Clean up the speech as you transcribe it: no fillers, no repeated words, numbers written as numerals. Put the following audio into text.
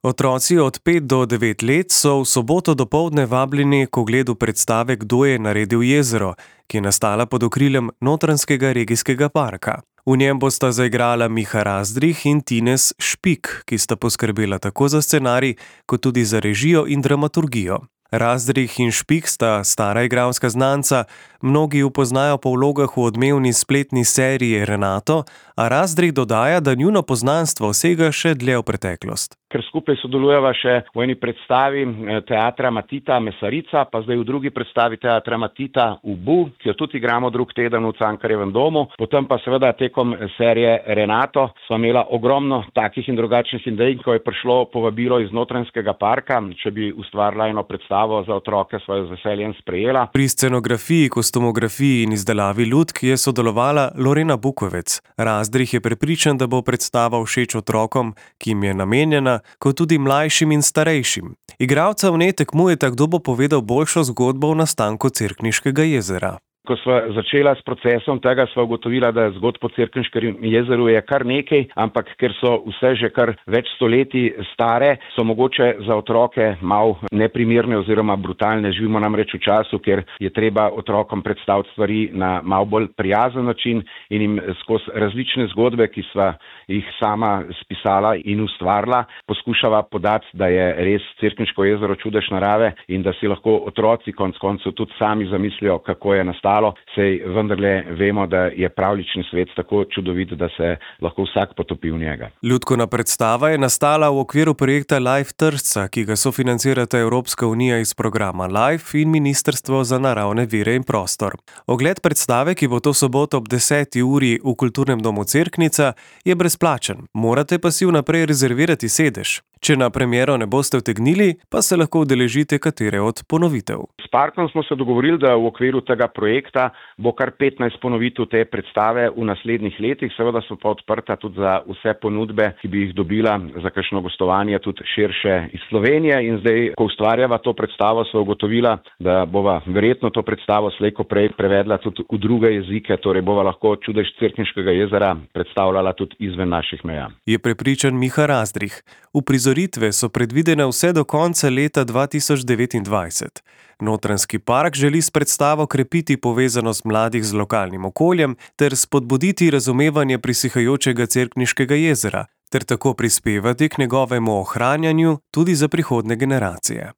Otroci od 5 do 9 let so v soboto dopoldne vabljeni k ogledu predstave Kdo je naredil jezero, ki je nastala pod okriljem Notranjskega regijskega parka. V njem bosta zaigrala Miha Razdrih in Tines Špik, ki sta poskrbela tako za scenarij, kot tudi za režijo in dramaturgijo. Razdrih in Špik sta stara igralska znanca, mnogi ju poznajo po vlogah v odmevni spletni seriji Renato, a Razdrih dodaja, da njuno poznanstvo sega še dlje v preteklost. Ker skupaj sodelujeva še v eni predstavi teatra Matita Mesarica, pa zdaj v drugi predstavi teatra Matita Ubu, ki jo tudi igramo drug teden v Cankarjevem domu. Potem pa seveda tekom serije Renato sva imela ogromno takih in drugačnih idej, ko je prišlo povabilo iz Notranjskega parka, če bi ustvarila eno predstavo za otroke, sva jo z veseljem sprejela. Pri scenografiji, kostumografiji in izdelavi lutk je sodelovala Lorena Bukovec. Razdrih je prepričan, da bo predstava všeč otrokom, ki jim je namenjena, kot tudi mlajšim in starejšim. Igralca v njej tekmujeta, kdo bo povedal boljšo zgodbo o nastanku Cerkniškega jezera. Ko sva začela s procesom tega, sva ugotovila, da zgodb o Cerkniškem jezeru je kar nekaj, ampak ker so vse že kar več stoletij stare, so mogoče za otroke malo neprimerne oziroma brutalne. Živimo namreč v času, ker je treba otrokom predstaviti stvari na malo bolj prijazen način in jim skozi različne zgodbe, ki sva jih sama spisala in ustvarila, poskušava podati, da je res Cerkniško jezero čudež narave in da si lahko otroci konec koncev tudi sami zamislijo, kako je nastalo. Sej vendarle vemo, da je pravljični svet tako čudovit, da se lahko vsak potopi v njega. Lutkovna predstava je nastala v okviru projekta Life Tržca, ki ga sofinancirata Evropska unija iz programa Life in Ministrstvo za naravne vire in prostor. Ogled predstave, ki bo to soboto ob 10. uri v Kulturnem domu Cerknica, je brezplačen. Morate pa si vnaprej rezervirati sedež. Če na premiero ne boste utegnili, pa se lahko udeležite katere od ponovitev. S parkom smo se dogovorili, da v okviru tega projekta bo kar 15 ponovitev te predstave v naslednjih letih. Seveda so pa odprta tudi za vse ponudbe, ki bi jih dobila za kakšno gostovanje tudi širše iz Slovenije. In zdaj, ko ustvarjava to predstavo, sva ugotovila, da bova verjetno to predstavo slej ko prej prevedla tudi v druge jezike, torej bova lahko čudež Cerkniškega jezera predstavljala tudi izven naših meja. Je prepričan Miha Razdrih. Uprizoritve so predvidene vse do konca leta 2029. Notranjski park želi s predstavo krepiti povezanost mladih z lokalnim okoljem ter spodbuditi razumevanje prisihajočega Cerkniškega jezera ter tako prispevati k njegovemu ohranjanju tudi za prihodnje generacije.